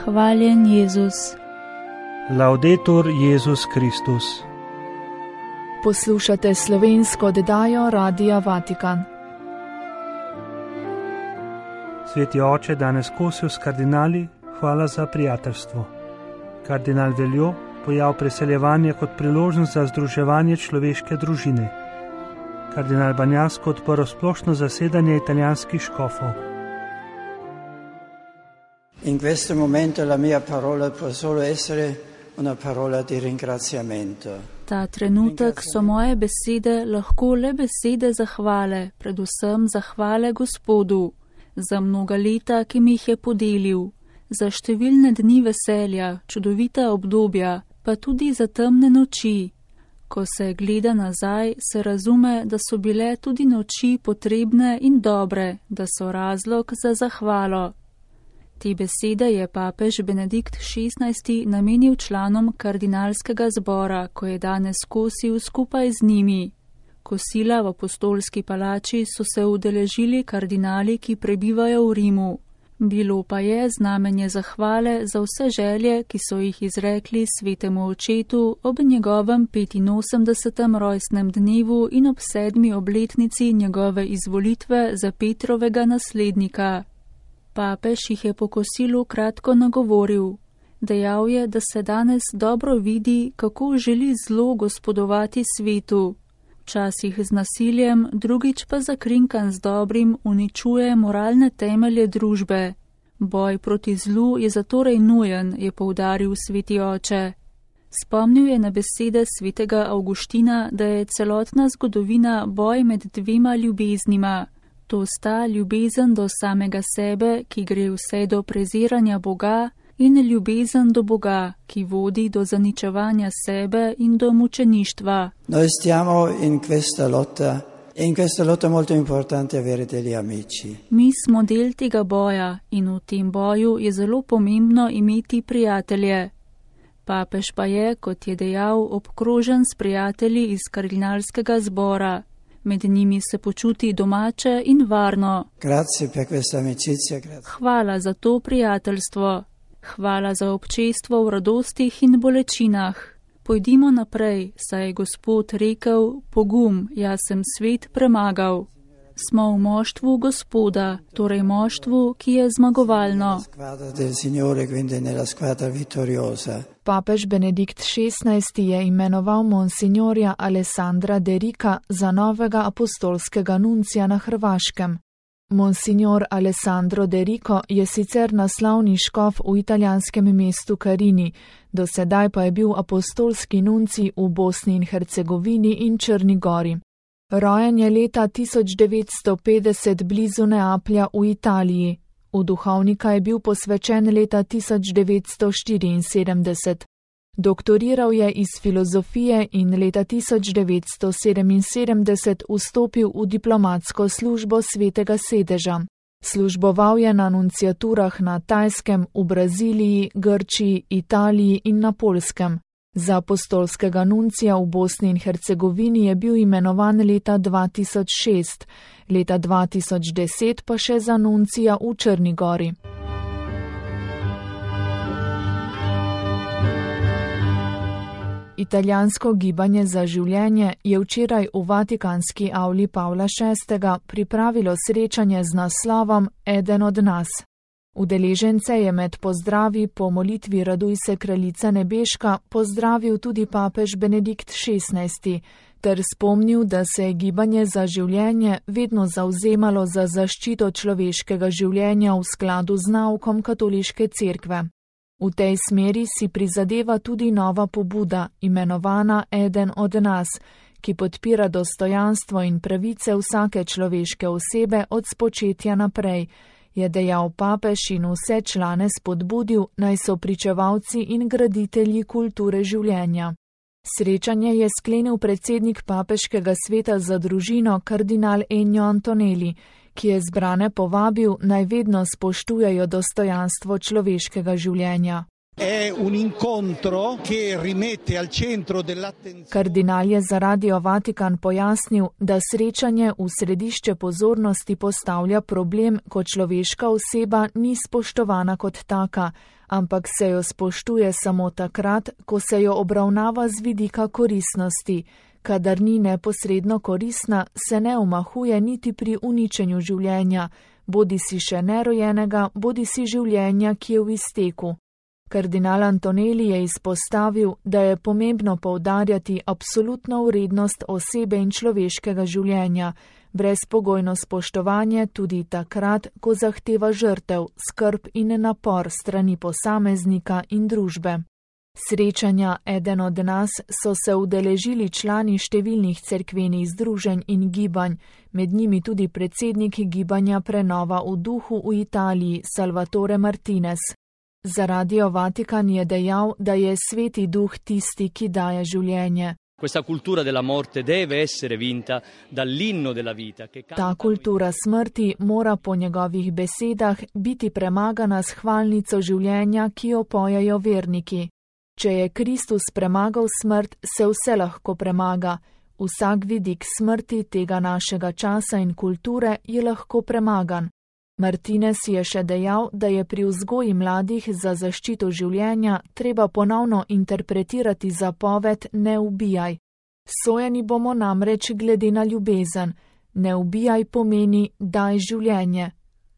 Hvaljen Jezus. Laudetur Jezus Kristus. Poslušate slovensko oddajo Radia Vatikan. Sveti oče danes kosil s kardinali, hvala za prijateljstvo. Kardinal Veljo pojav preseljevanja kot priložnost za združevanje človeške družine. Kardinal Banjasko odprl splošno zasedanje italijanskih škofov. In questo momento la mia parola può solo essere una parola di ringraziamento. Ta trenutek so moje besede lahko le besede zahvale, predvsem zahvale Gospodu, za mnoga leta, ki mi jih je podelil, za številne dni veselja, čudovita obdobja, pa tudi za temne noči. Ko se gleda nazaj, se razume, da so bile tudi noči potrebne in dobre, da so razlog za zahvalo. Te besede je papež Benedikt XVI namenil članom kardinalskega zbora, ko je danes kosil skupaj z njimi. Kosila v apostolski palači so se udeležili kardinali, ki prebivajo v Rimu. Bilo pa je znamenje zahvale za vse želje, ki so jih izrekli svetemu očetu ob njegovem 85. rojstnem dnevu in ob 7. obletnici njegove izvolitve za Petrovega naslednika. Papež jih je po kosilu kratko nagovoril. Dejal je, da se danes dobro vidi, kako želi zlo gospodovati svetu. Včasih z nasiljem, drugič pa zakrinkan z dobrim uničuje moralne temelje družbe. Boj proti zlu je zatorej nujen, je poudaril sveti oče. Spomnil je na besede svetega Avguština, da je celotna zgodovina boj med dvema ljubeznima. To sta ljubezen do samega sebe, ki gre vse do preziranja Boga, in ljubezen do Boga, ki vodi do zaničevanja sebe in do mučeništva. Noi stiamo in questa lotta, e in questa lotta è molto importante avere degli amici. Mi smo del tega boja in v tem boju je zelo pomembno imeti prijatelje. Papež pa je, kot je dejal, obkrožen s prijatelji iz kardinalskega zbora. Med njimi se počuti domače in varno. Grazie per questa amicizia, grazie. Hvala za to prijateljstvo. Hvala za občestvo v radostih in bolečinah. Pojdimo naprej, saj je Gospod rekel, pogum, jaz sem svet premagal. Smo v moštvu Gospoda, torej moštvu, ki je zmagovalno. Papež Benedikt XVI je imenoval monsignorja Alessandra De Rica za novega apostolskega nuncija na Hrvaškem. Monsignor Alessandro De Rico je sicer naslovni škof v italijanskem mestu Carini, do sedaj pa je bil apostolski nuncij v Bosni in Hercegovini in Črni gori. Rojen je leta 1950 blizu Neaplja v Italiji. V duhovnika je bil posvečen leta 1974. Doktoriral je iz filozofije in leta 1977 vstopil v diplomatsko službo Svetega sedeža. Služboval je na nunciaturah na Tajskem, v Braziliji, Grčiji, Italiji in na Poljskem. Za apostolskega nuncija v Bosni in Hercegovini je bil imenovan leta 2006, leta 2010 pa še za nuncija v Črni gori. Italijansko gibanje za življenje je včeraj v Vatikanski avli Pavla VI. Pripravilo srečanje z naslovom Eden od nas. Udeležence je med pozdravi po molitvi Raduj se kraljica nebeška pozdravil tudi papež Benedikt XVI, ter spomnil, da se je gibanje za življenje vedno zavzemalo za zaščito človeškega življenja v skladu z naukom katoliške cerkve. V tej smeri si prizadeva tudi nova pobuda, imenovana Eden od nas, ki podpira dostojanstvo in pravice vsake človeške osebe od spočetja naprej, je dejal papež in vse člane spodbudil, naj so pričevalci in graditelji kulture življenja. Srečanje je sklenil predsednik papeškega sveta za družino kardinal Ennio Antonelli, ki je zbrane povabil, naj vedno spoštujejo dostojanstvo človeškega življenja. Kardinal je za Radio Vatikan pojasnil, da srečanje v središče pozornosti postavlja problem, ko človeška oseba ni spoštovana kot taka, ampak se jo spoštuje samo takrat, ko se jo obravnava z vidika koristnosti. Kadar ni neposredno koristna, se ne omahuje niti pri uničenju življenja, bodi si še nerojenega, bodi si življenja, ki je v izteku. Kardinal Antonelli je izpostavil, da je pomembno poudarjati absolutno vrednost osebe in človeškega življenja, brezpogojno spoštovanje tudi takrat, ko zahteva žrtev, skrb in napor strani posameznika in družbe. Srečanja Eden od nas so se udeležili člani številnih cerkvenih združenj in gibanj, med njimi tudi predsednik gibanja Prenova v duhu v Italiji Salvatore Martinez. Za Radio Vatikan je dejal, da je Sveti Duh tisti, ki daje življenje. Ta kultura smrti mora po njegovih besedah biti premagana s hvalnico življenja, ki jo pojejo verniki. Če je Kristus premagal smrt, se vse lahko premaga. Vsak vidik smrti tega našega časa in kulture je lahko premagan. Martinez je še dejal, da je pri vzgoji mladih za zaščito življenja treba ponovno interpretirati zapoved ne ubijaj. Sojeni bomo namreč glede na ljubezen. Ne ubijaj pomeni daj življenje.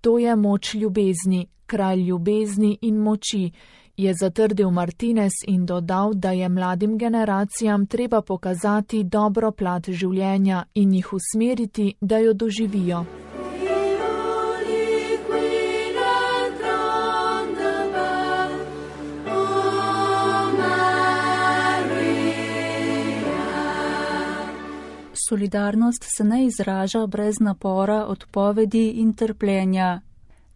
To je moč ljubezni, kralj ljubezni in moči, je zatrdil Martinez in dodal, da je mladim generacijam treba pokazati dobro plat življenja in jih usmeriti, da jo doživijo. Solidarnost se ne izraža brez napora, odpovedi in trpljenja.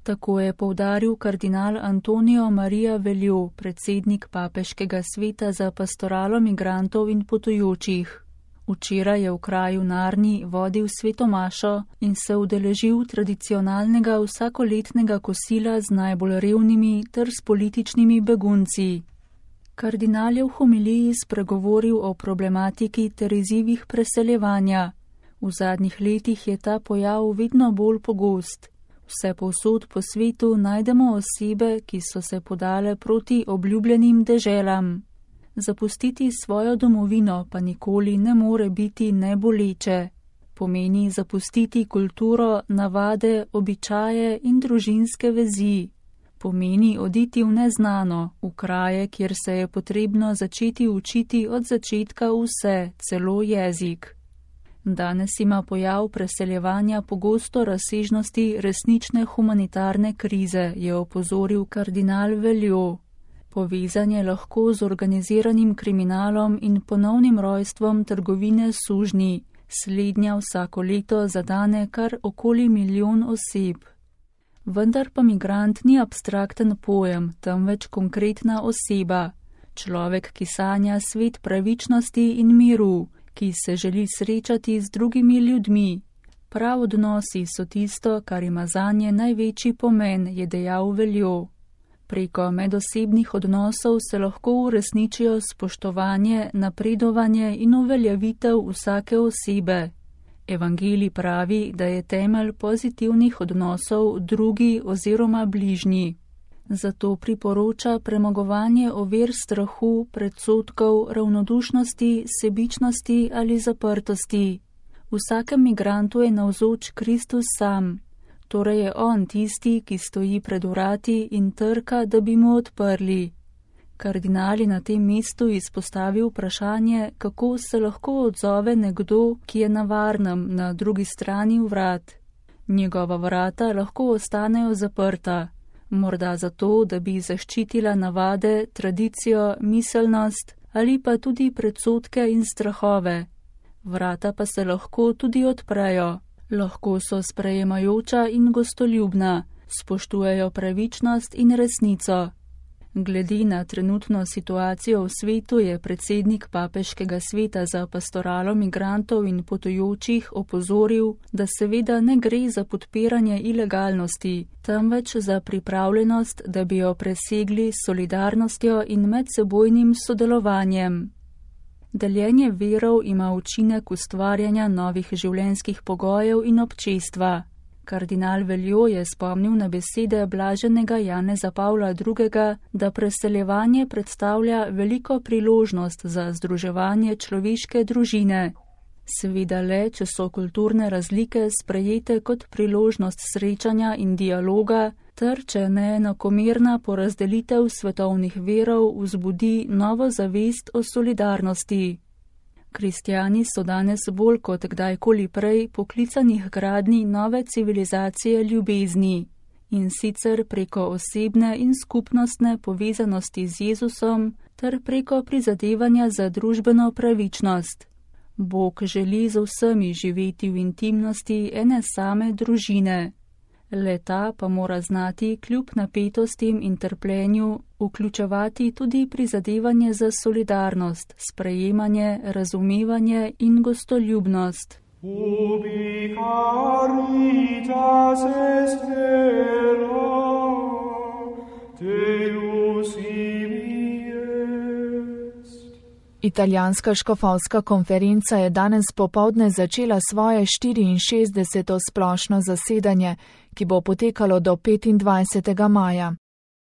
Tako je poudaril kardinal Antonio Maria Veljo, predsednik Papeškega sveta za pastoralo migrantov in potujočih. Včeraj je v kraju Narni vodil svetomašo in se udeležil tradicionalnega vsakoletnega kosila z najbolj revnimi ter s političnimi begunci. Kardinal je v homiliji spregovoril o problematiki ter izzivih preseljevanja. V zadnjih letih je ta pojav vedno bolj pogost. Vse povsod po svetu najdemo osebe, ki so se podale proti obljubljenim deželam. Zapustiti svojo domovino pa nikoli ne more biti neboleče. Pomeni zapustiti kulturo, navade, običaje in družinske vezi. Pomeni oditi v neznano, v kraje, kjer se je potrebno začeti učiti od začetka vse, celo jezik. Danes ima pojav preseljevanja pogosto razsežnosti resnične humanitarne krize, je opozoril kardinal Veljo. Povezan je lahko z organiziranim kriminalom in ponovnim rojstvom trgovine s sužnji. Slednja vsako leto zadane kar okoli 1 milijon oseb. Vendar pa migrant ni abstrakten pojem, temveč konkretna oseba. Človek, ki sanja svet pravičnosti in miru, ki se želi srečati z drugimi ljudmi. Prav odnosi so tisto, kar ima zanje največji pomen, je dejal Veljo. Preko medosebnih odnosov se lahko uresničijo spoštovanje, napredovanje in uveljavitev vsake osebe. Evangelij pravi, da je temelj pozitivnih odnosov drugi oziroma bližnji. Zato priporoča premagovanje ovir strahu, predsodkov, ravnodušnosti, sebičnosti ali zaprtosti. Vsakem migrantu je navzoč Kristus sam. Torej je on tisti, ki stoji pred vrati in trka, da bi mu odprli. Kardinal je na tem mestu izpostavil vprašanje, kako se lahko odzove nekdo, ki je na varnem na drugi strani vrat. Njegova vrata lahko ostanejo zaprta. Morda zato, da bi zaščitila navade, tradicijo, miselnost ali pa tudi predsodke in strahove. Vrata pa se lahko tudi odprejo. Lahko so sprejemajoča in gostoljubna, spoštujejo pravičnost in resnico. Glede na trenutno situacijo v svetu je predsednik Papeškega sveta za pastoralo migrantov in potujočih opozoril, da seveda ne gre za podpiranje ilegalnosti, temveč za pripravljenost, da bi jo presegli s solidarnostjo in medsebojnim sodelovanjem. Deljenje verov ima učinek ustvarjanja novih življenjskih pogojev in občestva. Kardinal Veljo je spomnil na besede blaženega Janeza Pavla II., da preseljevanje predstavlja veliko priložnost za združevanje človeške družine. Seveda le, če so kulturne razlike sprejete kot priložnost srečanja in dialoga, ter če neenakomerna porazdelitev svetovnih verov vzbudi novo zavest o solidarnosti. Kristjani so danes bolj kot kdajkoli prej poklicanih gradnji nove civilizacije ljubezni, in sicer preko osebne in skupnostne povezanosti z Jezusom ter preko prizadevanja za družbeno pravičnost. Bog želi z vsemi živeti v intimnosti ene same družine. Le-ta pa mora znati kljub napetostim in trpljenju vključevati tudi prizadevanje za solidarnost, sprejemanje, razumevanje in gostoljubnost. Ubi caritas est vera, Deus ibi est. Italijanska škofovska konferenca je danes popoldne začela svoje 64. splošno zasedanje, ki bo potekalo do 25. maja.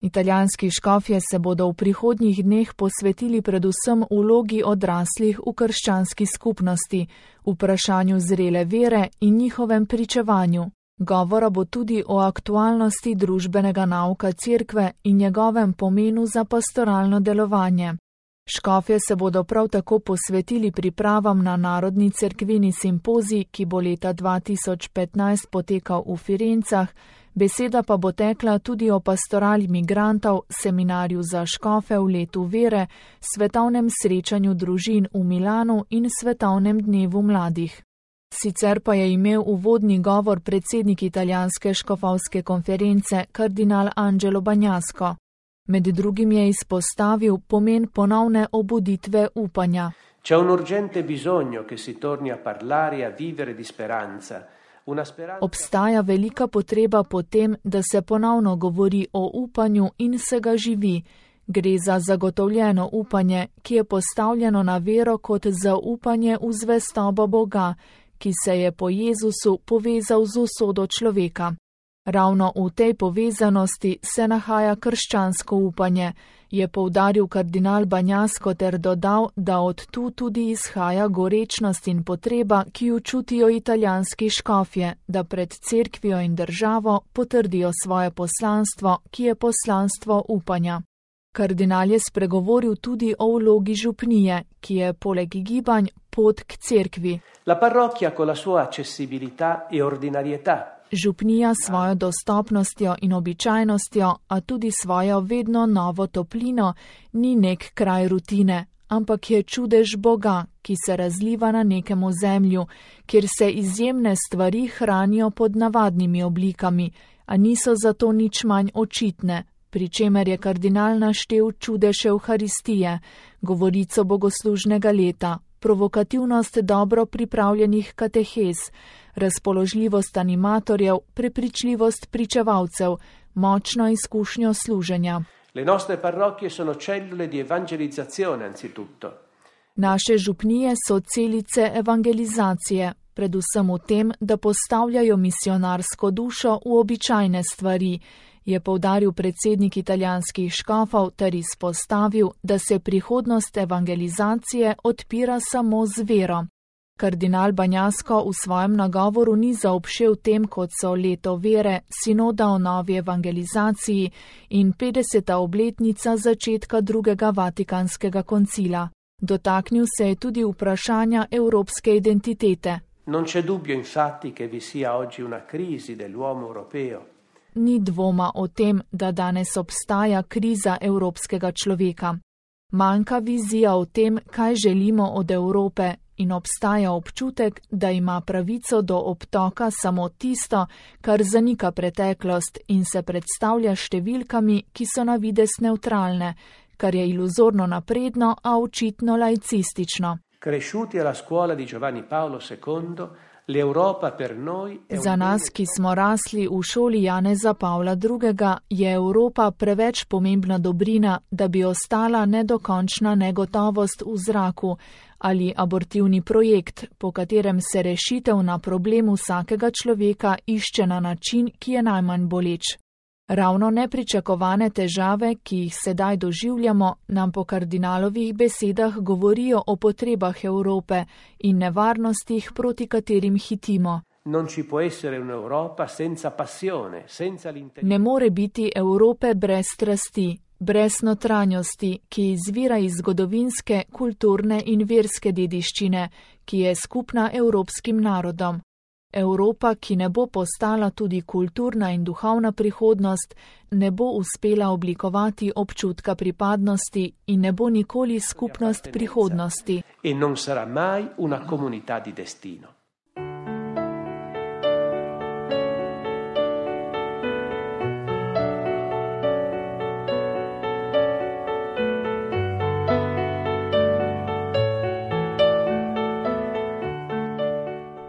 Italijanski škofje se bodo v prihodnjih dneh posvetili predvsem vlogi odraslih v krščanski skupnosti, vprašanju zrele vere in njihovem pričevanju. Govora bo tudi o aktualnosti družbenega nauka cerkve in njegovem pomenu za pastoralno delovanje. Škofje se bodo prav tako posvetili pripravam na narodni cerkveni simpozij, ki bo leta 2015 potekal v Firencah, beseda pa bo tekla tudi o pastorali migrantov, seminarju za škofe v letu vere, svetovnem srečanju družin v Milanu in svetovnem dnevu mladih. Sicer pa je imel uvodni govor predsednik italijanske škofovske konference, kardinal Angelo Bagnasco. Med drugim je izpostavil pomen ponovne obuditve upanja. C'è un urgente bisogno che si torni a parlare e a vivere di speranza. Obstaja velika potreba po tem, da se ponovno govori o upanju in se ga živi. Gre za zagotovljeno upanje, ki je postavljeno na vero kot zaupanje v zvestobo Boga, ki se je po Jezusu povezal z usodo človeka. Ravno v tej povezanosti se nahaja krščansko upanje, je poudaril kardinal Bagnasco ter dodal, da od tu tudi izhaja gorečnost in potreba, ki jo čutijo italijanski škofje, da pred cerkvijo in državo potrdijo svoje poslanstvo, ki je poslanstvo upanja. Kardinal je spregovoril tudi o vlogi župnije, ki je poleg gibanj pot k cerkvi. La parrocchia con la sua accessibilità e ordinarietà. Župnija s svojo dostopnostjo in običajnostjo, a tudi svojo vedno novo toplino, ni nek kraj rutine, ampak je čudež Boga, ki se razliva na nekem ozemlju, kjer se izjemne stvari hranijo pod navadnimi oblikami, a niso zato nič manj očitne, pri čemer je kardinal naštel čudež Evharistije, govorico bogoslužnega leta, provokativnost dobro pripravljenih katehez, razpoložljivost animatorjev, prepričljivost pričevalcev, močno izkušnjo služenja. Le nostre parrocchie sono cellule di evangelizzazione anzitutto. Naše župnije so celice evangelizacije, predvsem v tem, da postavljajo misionarsko dušo v običajne stvari, je poudaril predsednik italijanskih škofov ter izpostavil, da se prihodnost evangelizacije odpira samo z vero. Kardinal Bagnasco v svojem nagovoru ni zaobšel tem, kot so leto vere, sinoda o novi evangelizaciji in 50. obletnica začetka drugega Vatikanskega koncila. Dotaknil se je tudi vprašanja evropske identitete. Non c'è dubbio infatti che vi sia oggi una crisi dell'uomo europeo. Ni dvoma o tem, da danes obstaja kriza evropskega človeka. Manjka vizija o tem, kaj želimo od Evrope, in obstaja občutek, da ima pravico do obtoka samo tisto, kar zanika preteklost in se predstavlja številkami, ki so na videz nevtralne, kar je iluzorno napredno, a očitno laicistično. Cresciuti alla scuola di Giovanni Paolo II, Za nas, ki smo rasli v šoli Janeza Pavla II., je Evropa preveč pomembna dobrina, da bi ostala nedokončna negotovost v zraku ali abortivni projekt, po katerem se rešitev na problem vsakega človeka išče na način, ki je najmanj boleč. Ravno nepričakovane težave, ki jih sedaj doživljamo, nam po kardinalovih besedah govorijo o potrebah Evrope in nevarnostih, proti katerim hitimo. Ne more biti Evrope brez strasti, brez notranjosti, ki izvira iz zgodovinske, kulturne in verske dediščine, ki je skupna evropskim narodom. Evropa, ki ne bo postala tudi kulturna in duhovna prihodnost, ne bo uspela oblikovati občutka pripadnosti in ne bo nikoli skupnost prihodnosti.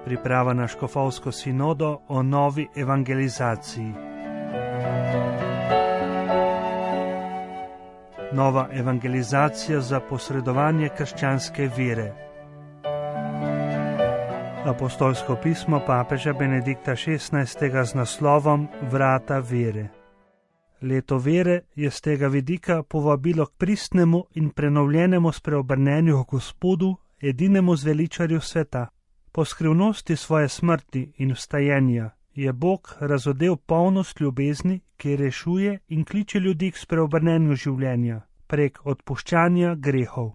Priprava na škofovsko sinodo o novi evangelizaciji. Nova evangelizacija za posredovanje krščanske vere. Apostolsko pismo papeža Benedikta XVI. Z naslovom Vrata vere. Leto vere je z tega vidika povabilo k pristnemu in prenovljenemu spreobrnenju k Gospodu, edinemu zveličarju sveta. Po skrivnosti svoje smrti in vstajenja je Bog razodel polnost ljubezni, ki rešuje in kliče ljudi k spreobrnenju življenja prek odpuščanja grehov.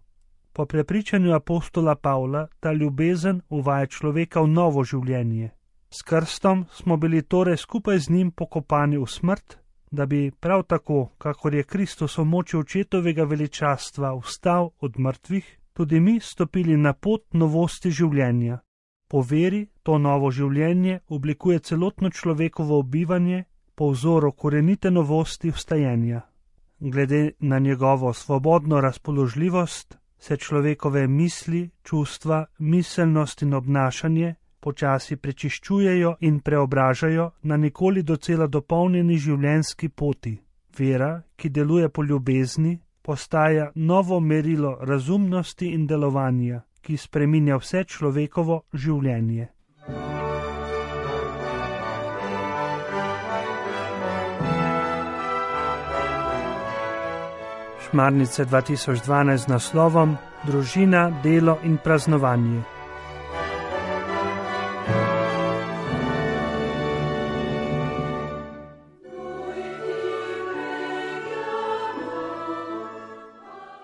Po prepričanju apostola Pavla ta ljubezen uvaja človeka v novo življenje. S krstom smo bili torej skupaj z njim pokopani v smrt, da bi prav tako, kakor je Kristus v moči očetovega veličastva vstal od mrtvih, tudi mi stopili na pot novosti življenja. Po veri to novo življenje oblikuje celotno človekovo bivanje po vzoru korenite novosti vstajenja. Glede na njegovo svobodno razpoložljivost se človekove misli, čustva, miselnost in obnašanje počasi prečiščujejo in preobražajo na nikoli docela dopolnjeni življenjski poti. Vera, ki deluje po ljubezni, postaja novo merilo razumnosti in delovanja, ki spreminja vse človekovo življenje. Šmarnice 2012 z naslovom Družina, delo in praznovanje.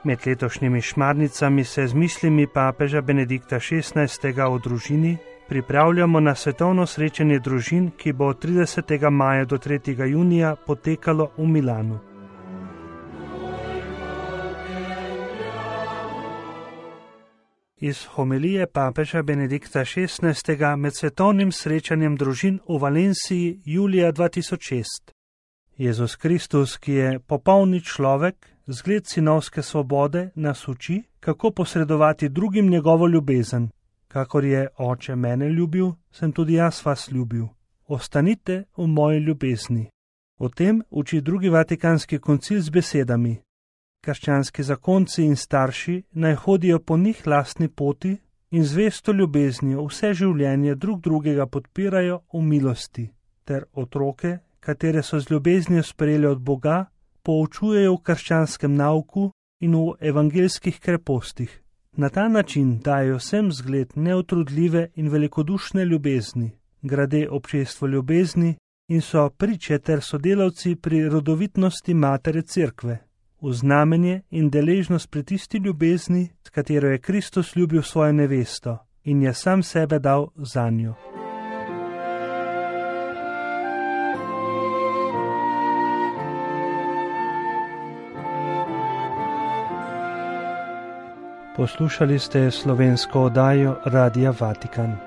Med letošnjimi šmarnicami se z mislimi papeža Benedikta XVI. O družini pripravljamo na svetovno srečanje družin, ki bo od 30. maja do 3. junija potekalo v Milanu. Iz homilije papeža Benedikta XVI. Med svetovnim srečanjem družin v Valenciji julija 2006. Jezus Kristus, ki je popolni človek, zgled sinovske svobode, nas uči, kako posredovati drugim njegovo ljubezen. Kakor je Oče mene ljubil, sem tudi jaz vas ljubil. Ostanite v moji ljubezni. O tem uči drugi Vatikanski koncil z besedami: krščanski zakonci in starši naj hodijo po njih lastni poti in zvesto ljubeznijo vse življenje drug drugega podpirajo v milosti, ter otroke, katere so z ljubeznijo sprejeli od Boga, poučujejo v krščanskem nauku in v evangeljskih krepostih. Na ta način dajo vsem zgled neutrudljive in velikodušne ljubezni, grade občestvo ljubezni in so priče ter sodelavci pri rodovitnosti matere Cerkve, v znamenje in deležnost pri tisti ljubezni, s katero je Kristus ljubil svojo nevesto in je sam sebe dal zanjo. Poslušali ste slovensko oddajo Radia Vatikan.